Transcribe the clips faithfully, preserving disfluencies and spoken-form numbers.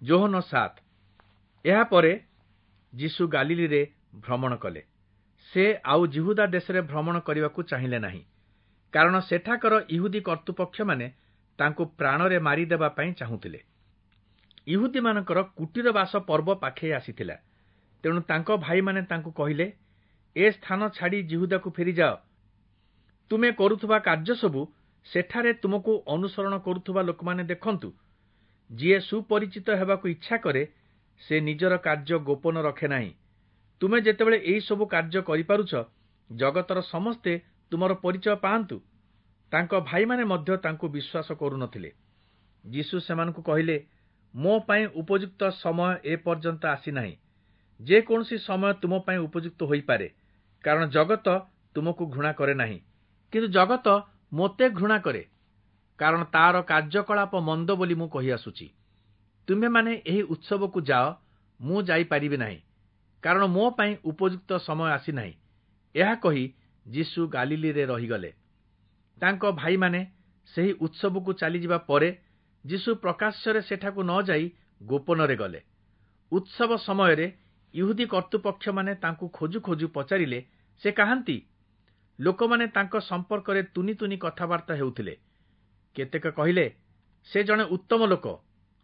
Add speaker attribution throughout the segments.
Speaker 1: ଯୋହନ ସାତ। ଏହାପରେ ଯୀଶୁ ଗାଲିଲୀରେ ଭ୍ରମଣ କଲେ। ସେ ଆଉ ଯିହୁଦା ଦେଶରେ ଭ୍ରମଣ କରିବାକୁ ଚାହିଁଲେ ନାହିଁ, କାରଣ ସେଠାକାର ଇହୁଦୀ କର୍ତ୍ତୃପକ୍ଷମାନେ ତାଙ୍କୁ ପ୍ରାଣରେ ମାରିଦେବା ପାଇଁ ଚାହୁଁଥିଲେ। ଇହୁଦୀମାନଙ୍କର କୁଟୀରବାସ ପର୍ବ ପାଖେଇ ଆସିଥିଲା। ତେଣୁ ତାଙ୍କ ଭାଇମାନେ ତାଙ୍କୁ କହିଲେ, ଏ ସ୍ଥାନ ଛାଡ଼ି ଯିହୁଦାକୁ ଫେରିଯାଅ, ତୁମେ କରୁଥିବା କାର୍ଯ୍ୟସବୁ ସେଠାରେ ତୁମକୁ ଅନୁସରଣ କରୁଥିବା ଲୋକମାନେ ଦେଖନ୍ତୁ। ଯିଏ ସୁପରିଚିତ ହେବାକୁ ଇଚ୍ଛା କରେ, ସେ ନିଜର କାର୍ଯ୍ୟ ଗୋପନ ରଖେ ନାହିଁ। ତୁମେ ଯେତେବେଳେ ଏହିସବୁ କାର୍ଯ୍ୟ କରିପାରୁଛ, ଜଗତର ସମସ୍ତେ ତୁମର ପରିଚୟ ପାଆନ୍ତୁ। ତାଙ୍କ ଭାଇମାନେ ମଧ୍ୟ ତାଙ୍କୁ ବିଶ୍ୱାସ କରୁନଥିଲେ। ଯୀଶୁ ସେମାନଙ୍କୁ କହିଲେ, ମୋ ପାଇଁ ଉପଯୁକ୍ତ ସମୟ ଏପର୍ଯ୍ୟନ୍ତ ଆସିନାହିଁ। ଯେ କୌଣସି ସମୟ ତୁମ ପାଇଁ ଉପଯୁକ୍ତ ହୋଇପାରେ, କାରଣ ଜଗତ ତୁମକୁ ଘୃଣା କରେ ନାହିଁ। କିନ୍ତୁ ଜଗତ ମୋତେ ଘୃଣା କରେ, କାରଣ ତାର କାର୍ଯ୍ୟକଳାପ ମନ୍ଦ ବୋଲି ମୁଁ କହିଆସୁଛି। ତୁମ୍ଭେମାନେ ଏହି ଉତ୍ସବକୁ ଯାଅ, ମୁଁ ଯାଇପାରିବି ନାହିଁ, କାରଣ ମୋ ପାଇଁ ଉପଯୁକ୍ତ ସମୟ ଆସିନାହିଁ। ଏହା କହି ଯୀଶୁ ଗାଲିଲୀରେ ରହିଗଲେ। ତାଙ୍କ ଭାଇମାନେ ସେହି ଉତ୍ସବକୁ ଚାଲିଯିବା ପରେ ଯୀଶୁ ପ୍ରକାଶ୍ୟରେ ସେଠାକୁ ନ ଯାଇ ଗୋପନରେ ଗଲେ। ଉତ୍ସବ ସମୟରେ ଇହୁଦୀ କର୍ତ୍ତୃପକ୍ଷମାନେ ତାଙ୍କୁ ଖୋଜୁ ଖୋଜୁ ପଚାରିଲେ, ସେ କାହାନ୍ତି? ଲୋକମାନେ ତାଙ୍କ ସମ୍ପର୍କରେ ତୁନି ତୁନି କଥାବାର୍ତ୍ତା ହେଉଥିଲେ। କେତେକ କହିଲେ, ସେ ଜଣେ ଉତ୍ତମ ଲୋକ।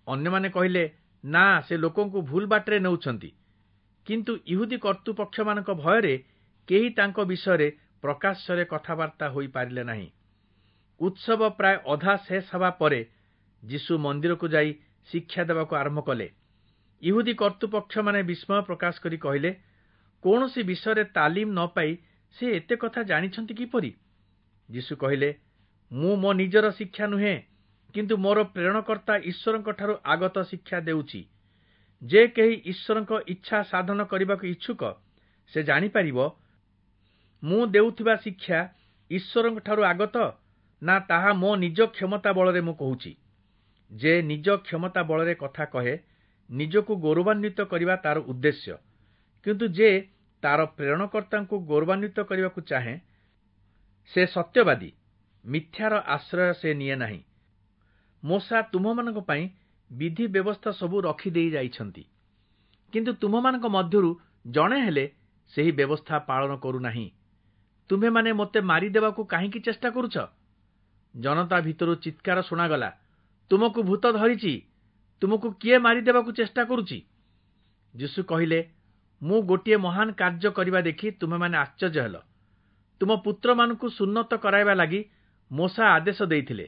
Speaker 1: ଅନ୍ୟମାନେ କହିଲେ, ନା, ସେ ଲୋକଙ୍କୁ ଭୁଲ ବାଟରେ ନେଉଛନ୍ତି। କିନ୍ତୁ ଇହୁଦୀ କର୍ତ୍ତୃପକ୍ଷମାନଙ୍କ ଭୟରେ କେହି ତାଙ୍କ ବିଷୟରେ ପ୍ରକାଶ୍ୟରେ କଥାବାର୍ତ୍ତା ହୋଇପାରିଲେ ନାହିଁ। ଉତ୍ସବ ପ୍ରାୟ ଅଧା ଶେଷ ହେବା ପରେ ଯୀଶୁ ମନ୍ଦିରକୁ ଯାଇ ଶିକ୍ଷା ଦେବାକୁ ଆରମ୍ଭ କଲେ। ଇହୁଦୀ କର୍ତ୍ତୃପକ୍ଷମାନେ ବିସ୍ମୟ ପ୍ରକାଶ କରି କହିଲେ, କୌଣସି ବିଷୟରେ ତାଲିମ ନ ପାଇ ସେ ଏତେ କଥା ଜାଣିଛନ୍ତି କିପରି? ଯୀଶୁ କହିଲେ, ମୁଁ ମୋ ନିଜର ଶିକ୍ଷା ନୁହେଁ, କିନ୍ତୁ ମୋର ପ୍ରେରଣକର୍ତ୍ତା ଈଶ୍ୱରଙ୍କଠାରୁ ଆଗତ ଶିକ୍ଷା ଦେଉଛି। ଯେ କେହି ଈଶ୍ୱରଙ୍କ ଇଚ୍ଛା ସାଧନ କରିବାକୁ ଇଚ୍ଛୁକ, ସେ ଜାଣିପାରିବ ମୁଁ ଦେଉଥିବା ଶିକ୍ଷା ଈଶ୍ୱରଙ୍କଠାରୁ ଆଗତ ନା ତାହା ମୋ ନିଜ କ୍ଷମତା ବଳରେ ମୁଁ କହୁଛି। ଯେ ନିଜ କ୍ଷମତା ବଳରେ କଥା କହେ, ନିଜକୁ ଗୌରବାନ୍ୱିତ କରିବା ତାର ଉଦ୍ଦେଶ୍ୟ। କିନ୍ତୁ ଯେ ତାର ପ୍ରେରଣକର୍ତ୍ତାଙ୍କୁ ଗୌରବାନ୍ୱିତ କରିବାକୁ ଚାହେଁ, ସେ ସତ୍ୟବାଦୀ, ମିଥ୍ୟାର ଆଶ୍ରୟ ସେ ନିଏ ନାହିଁ। ମୋଶା ତୁମ୍ଭମାନଙ୍କ ପାଇଁ ବିଧି ବ୍ୟବସ୍ଥା ସବୁ ରଖିଦେଇ ଯାଇଛନ୍ତି, କିନ୍ତୁ ତୁମ୍ଭମାନଙ୍କ ମଧ୍ୟରୁ ଜଣେ ହେଲେ ସେହି ବ୍ୟବସ୍ଥା ପାଳନ କରୁନାହିଁ। ତୁମ୍ଭେମାନେ ମୋତେ ମାରିଦେବାକୁ କାହିଁକି ଚେଷ୍ଟା କରୁଛ? ଜନତା ଭିତରୁ ଚିତ୍କାର ଶୁଣାଗଲା, ତୁମକୁ ଭୂତ ଧରିଛି, ତୁମକୁ କିଏ ମାରିଦେବାକୁ ଚେଷ୍ଟା କରୁଛି? ଯୀଶୁ କହିଲେ, ମୁଁ ଗୋଟିଏ ମହାନ କାର୍ଯ୍ୟ କରିବା ଦେଖି ତୁମେମାନେ ଆଶ୍ଚର୍ଯ୍ୟ ହେଲ। ତୁମ ପୁତ୍ରମାନଙ୍କୁ ସୁନ୍ନତ କରାଇବା ଲାଗି ମୋଶା ଆଦେଶ ଦେଇଥିଲେ।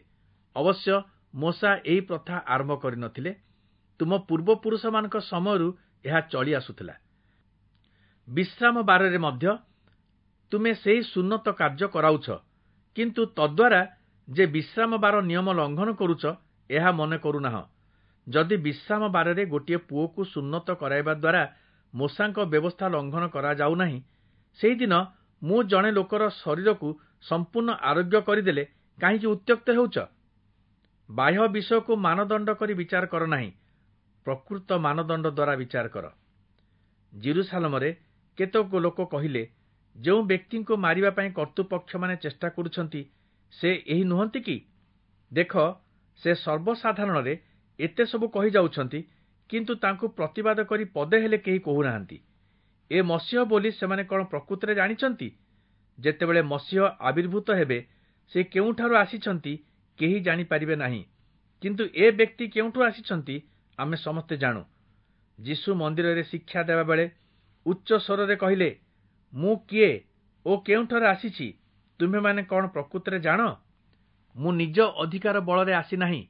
Speaker 1: ଅବଶ୍ୟ ମୋଶା ଏହି ପ୍ରଥା ଆରମ୍ଭ କରିନଥିଲେ, ତୁମ ପୂର୍ବପୁରୁଷମାନଙ୍କ ସମୟରୁ ଏହା ଚଳି ଆସୁଥିଲା। ବିଶ୍ରାମ ବାରରେ ମଧ୍ୟ ତୁମେ ସେହି ସୁନ୍ନତ କାର୍ଯ୍ୟ କରାଉଛ, କିନ୍ତୁ ତଦ୍ୱାରା ଯେ ବିଶ୍ରାମ ବାର ନିୟମ ଲଙ୍ଘନ କରୁଛ, ଏହା ମନେ କରୁନାହଁ। ଯଦି ବିଶ୍ରାମ ବାରରେ ଗୋଟିଏ ପୁଅକୁ ସୁନ୍ନତ କରାଇବା ଦ୍ୱାରା ମୋଶାଙ୍କ ବ୍ୟବସ୍ଥା ଲଙ୍ଘନ କରାଯାଉନାହିଁ, ସେହିଦିନ ମୁଁ ଜଣେ ଲୋକର ଶରୀରକୁ ସମ୍ପୂର୍ଣ୍ଣ ଆରୋଗ୍ୟ କରିଦେଲେ କାହିଁକି ଉତ୍ତ୍ୟକ୍ତ ହେଉଛ? ବାହ୍ୟ ବିଷୟକୁ ମାନଦଣ୍ଡ କରି ବିଚାର କର ନାହିଁ, ପ୍ରକୃତ ମାନଦଣ୍ଡ ଦ୍ୱାରା ବିଚାର କର। ଯିରୂଶାଲମରେ କେତେକ ଲୋକ କହିଲେ, ଯେଉଁ ବ୍ୟକ୍ତିଙ୍କୁ ମାରିବା ପାଇଁ କର୍ତ୍ତୃପକ୍ଷମାନେ ଚେଷ୍ଟା କରୁଛନ୍ତି, ସେ ଏହି ନୁହନ୍ତି କି? ଦେଖ, ସେ ସର୍ବସାଧାରଣରେ ଏତେ ସବୁ କହିଯାଉଛନ୍ତି, କିନ୍ତୁ ତାଙ୍କୁ ପ୍ରତିବାଦ କରି ପଦେ ହେଲେ କେହି କହୁନାହାନ୍ତି। ଏ ମସିହ ବୋଲି ସେମାନେ କ'ଣ ପ୍ରକୃତରେ ଜାଣିଛନ୍ତି? ଯେତେବେଳେ ମସିହ ଆବିର୍ଭୂତ ହେବେ, ସେ କେଉଁଠାରୁ ଆସିଛନ୍ତି କେହି ଜାଣିପାରିବେ ନାହିଁ। କିନ୍ତୁ ଏ ବ୍ୟକ୍ତି କେଉଁଠୁ ଆସିଛନ୍ତି ଆମେ ସମସ୍ତେ ଜାଣୁ। ଯୀଶୁ ମନ୍ଦିରରେ ଶିକ୍ଷା ଦେବାବେଳେ ଉଚ୍ଚ ସ୍ୱରରେ କହିଲେ, ମୁଁ କିଏ ଓ କେଉଁଠାରୁ ଆସିଛି ତୁମ୍ଭେମାନେ କ'ଣ ପ୍ରକୃତରେ ଜାଣ? ମୁଁ ନିଜ ଅଧିକାର ବଳରେ ଆସିନାହିଁ,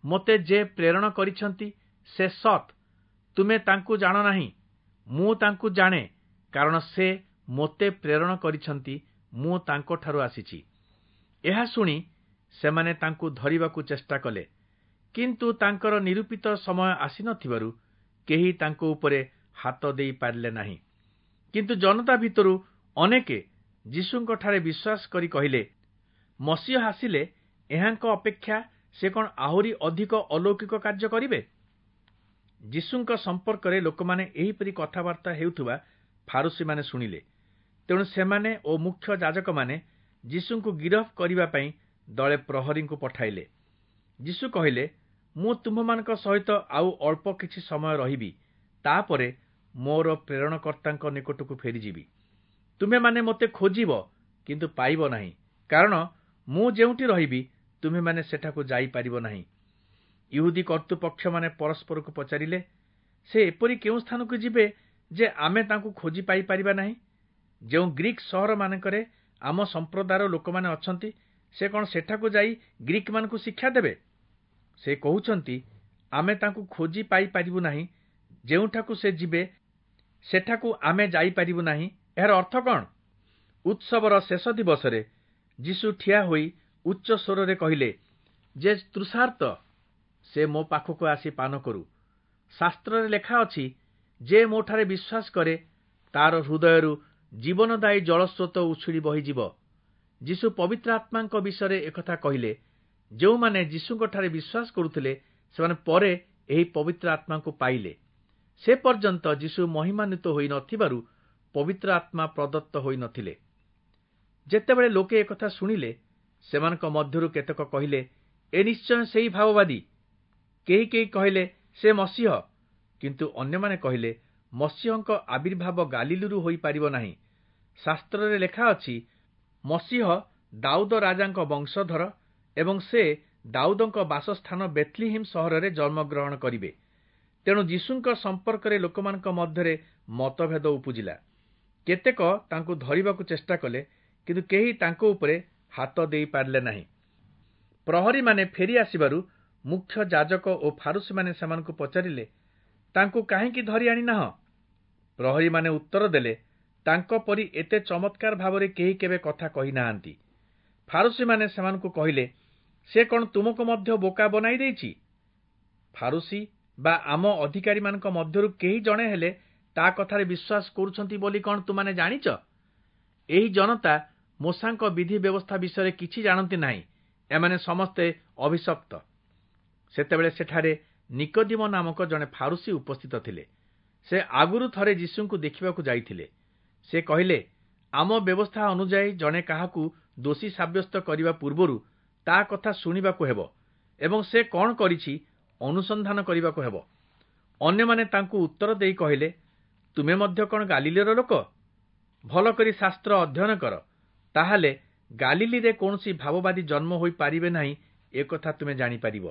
Speaker 1: ମୋତେ ଯେ ପ୍ରେରଣ କରିଛନ୍ତି ସେ ସତ୍। ତୁମେ ତାଙ୍କୁ ଜାଣ ନାହିଁ, ମୁଁ ତାଙ୍କୁ ଜାଣେ, କାରଣ ସେ ମୋତେ ପ୍ରେରଣ କରିଛନ୍ତି, ମୁଁ ତାଙ୍କଠାରୁ ଆସିଛି। ଏହା ଶୁଣି ସେମାନେ ତାଙ୍କୁ ଧରିବାକୁ ଚେଷ୍ଟା କଲେ, କିନ୍ତୁ ତାଙ୍କର ନିରୂପିତ ସମୟ ଆସିନଥିବାରୁ କେହି ତାଙ୍କ ଉପରେ ହାତ ଦେଇପାରିଲେ ନାହିଁ। କିନ୍ତୁ ଜନତା ଭିତରୁ ଅନେକେ ଯୀଶୁଙ୍କଠାରେ ବିଶ୍ୱାସ କରି କହିଲେ, ମସିହ ଆସିଲେ ଏହାଙ୍କ ଅପେକ୍ଷା ସେ କ'ଣ ଆହୁରି ଅଧିକ ଅଲୌକିକ କାର୍ଯ୍ୟ କରିବେ? ଯୀଶୁଙ୍କ ସମ୍ପର୍କରେ ଲୋକମାନେ ଏହିପରି କଥାବାର୍ତ୍ତା ହେଉଥିବା ଫାରୁଶୀମାନେ ଶୁଣିଲେ। ତେଣୁ ସେମାନେ ଓ ମୁଖ୍ୟ ଯାଜକମାନେ ଯୀଶୁଙ୍କୁ ଗିରଫ କରିବା ପାଇଁ ଦଳେ ପ୍ରହରୀଙ୍କୁ ପଠାଇଲେ। ଯୀଶୁ କହିଲେ, ମୁଁ ତୁମ୍ଭମାନଙ୍କ ସହିତ ଆଉ ଅଳ୍ପ କିଛି ସମୟ ରହିବି, ତାପରେ ମୋର ପ୍ରେରଣକର୍ତ୍ତାଙ୍କ ନିକଟକୁ ଫେରିଯିବି। ତୁମେମାନେ ମୋତେ ଖୋଜିବ, କିନ୍ତୁ ପାଇବ ନାହିଁ, କାରଣ ମୁଁ ଯେଉଁଠି ରହିବି ତୁମେମାନେ ସେଠାକୁ ଯାଇପାରିବ ନାହିଁ। ଇହୁଦୀ କର୍ତ୍ତୃପକ୍ଷମାନେ ପରସ୍ପରକୁ ପଚାରିଲେ, ସେ ଏପରି କେଉଁ ସ୍ଥାନକୁ ଯିବେ ଯେ ଆମେ ତାଙ୍କୁ ଖୋଜି ପାଇପାରିବା ନାହିଁ? ଯେଉଁ ଗ୍ରୀକ୍ ସହରମାନଙ୍କରେ ଆମ ସମ୍ପ୍ରଦାୟର ଲୋକମାନେ ଅଛନ୍ତି, ସେ କ'ଣ ସେଠାକୁ ଯାଇ ଗ୍ରୀକ୍‌ମାନଙ୍କୁ ଶିକ୍ଷା ଦେବେ? ସେ କହୁଛନ୍ତି, ଆମେ ତାଙ୍କୁ ଖୋଜି ପାଇପାରିବୁ ନାହିଁ, ଯେଉଁଠାକୁ ସେ ଯିବେ ସେଠାକୁ ଆମେ ଯାଇପାରିବୁ ନାହିଁ। ଏହାର ଅର୍ଥ କ'ଣ? ଉତ୍ସବର ଶେଷ ଦିବସରେ ଯୀଶୁ ଠିଆ ହୋଇ ଉଚ୍ଚ ସ୍ୱରରେ କହିଲେ, ଯେ ତୃଷାର୍ତ୍ତ ସେ ମୋ ପାଖକୁ ଆସି ପାନ କରୁ। ଶାସ୍ତ୍ରରେ ଲେଖା ଅଛି, ଯେ ମୋଠାରେ ବିଶ୍ୱାସ କରେ ତାର ହୃଦୟରୁ ଜୀବନଦାୟୀ ଜଳସ୍ରୋତ ଉଛୁଳି ବହିଯିବ। ଯୀଶୁ ପବିତ୍ର ଆତ୍ମାଙ୍କ ବିଷୟରେ ଏକଥା କହିଲେ। ଯେଉଁମାନେ ଯୀଶୁଙ୍କଠାରେ ବିଶ୍ୱାସ କରୁଥିଲେ ସେମାନେ ପରେ ଏହି ପବିତ୍ର ଆତ୍ମାଙ୍କୁ ପାଇଲେ। ସେ ପର୍ଯ୍ୟନ୍ତ ଯୀଶୁ ମହିମାନ୍ୱିତ ହୋଇ ନଥିବାରୁ ପବିତ୍ର ଆତ୍ମା ପ୍ରଦତ୍ତ ହୋଇ ନଥିଲେ। ଯେତେବେଳେ ଲୋକେ ଏକଥା ଶୁଣିଲେ, ସେମାନଙ୍କ ମଧ୍ୟରୁ କେତେକ କହିଲେ, ଏ ନିଶ୍ଚୟ ସେଇ ଭାବବାଦୀ। କେହି କେହି କହିଲେ, ସେ ମସିହ। କିନ୍ତୁ ଅନ୍ୟମାନେ କହିଲେ, ମସିହଙ୍କ ଆବିର୍ଭାବ ଗାଲିଲିରୁ ହୋଇପାରିବ ନାହିଁ। ଶାସ୍ତ୍ରରେ ଲେଖା ଅଛି, ମସିହ ଦାଉଦ ରାଜାଙ୍କ ବଂଶଧର ଏବଂ ସେ ଦାଉଦଙ୍କ ବାସସ୍ଥାନ ବେଥଲିହିମ୍ ସହରରେ ଜନ୍ମଗ୍ରହଣ କରିବେ। ତେଣୁ ଯୀଶୁଙ୍କ ସମ୍ପର୍କରେ ଲୋକମାନଙ୍କ ମଧ୍ୟରେ ମତଭେଦ ଉପୁଜିଲା। କେତେକ ତାଙ୍କୁ ଧରିବାକୁ ଚେଷ୍ଟା କଲେ, କିନ୍ତୁ କେହି ତାଙ୍କ ଉପରେ ହାତ ଦେଇପାରିଲେ ନାହିଁ। ପ୍ରହରୀମାନେ ଫେରି ଆସିବାରୁ ମୁଖ୍ୟ ଯାଜକ ଓ ଫାରୁସୀମାନେ ସେମାନଙ୍କୁ ପଚାରିଲେ, ତାଙ୍କୁ କାହିଁକି ଧରି ଆଣିନାହଁ? ପ୍ରହରୀମାନେ ଉତ୍ତର ଦେଲେ, ତାଙ୍କ ପରି ଏତେ ଚମତ୍କାର ଭାବରେ କେହି କେବେ କଥା କହିନାହାନ୍ତି। ଫାରୁସୀମାନେ ସେମାନଙ୍କୁ କହିଲେ, ସେ କ'ଣ ତୁମକୁ ମଧ୍ୟ ବୋକା ବନାଇ ଦେଇଛି? ଫାରୁସୀ ବା ଆମ ଅଧିକାରୀମାନଙ୍କ ମଧ୍ୟରୁ କେହି ଜଣେ ହେଲେ ତା କଥାରେ ବିଶ୍ୱାସ କରୁଛନ୍ତି ବୋଲି କ'ଣ ତୁମାନେ ଜାଣିଛ? ଏହି ଜନତା ମୋଶାଙ୍କ ବିଧି ବ୍ୟବସ୍ଥା ବିଷୟରେ କିଛି ଜାଣନ୍ତି ନାହିଁ। ଏମାନେ ସମସ୍ତେ ଅଭିଶପ୍ତ। ସେତେବେଳେ ସେଠାରେ ନିକୋଦିମ ନାମକ ଜଣେ ଫାରୁସୀ ଉପସ୍ଥିତ ଥିଲେ। ସେ ଆଗରୁ ଥରେ ଯୀଶୁଙ୍କୁ ଦେଖିବାକୁ ଯାଇଥିଲେ। ସେ କହିଲେ, ଆମ ବ୍ୟବସ୍ଥା ଅନୁଯାୟୀ ଜଣେ କାହାକୁ ଦୋଷୀ ସାବ୍ୟସ୍ତ କରିବା ପୂର୍ବରୁ ତା କଥା ଶୁଣିବାକୁ ହେବ ଏବଂ ସେ କ'ଣ କରିଛି ଅନୁସନ୍ଧାନ କରିବାକୁ ହେବ। ଅନ୍ୟମାନେ ତାଙ୍କୁ ଉତ୍ତର ଦେଇ କହିଲେ, ତୁମେ ମଧ୍ୟ କ'ଣ ଗାଲିଲିର ଲୋକ? ଭଲ କରି ଶାସ୍ତ୍ର ଅଧ୍ୟୟନ କର, ତାହେଲେ ଗାଲିଲିରେ କୌଣସି ଭାବବାଦୀ ଜନ୍ମ ହୋଇପାରିବେ ନାହିଁ, ଏକଥା ତୁମେ ଜାଣିପାରିବ।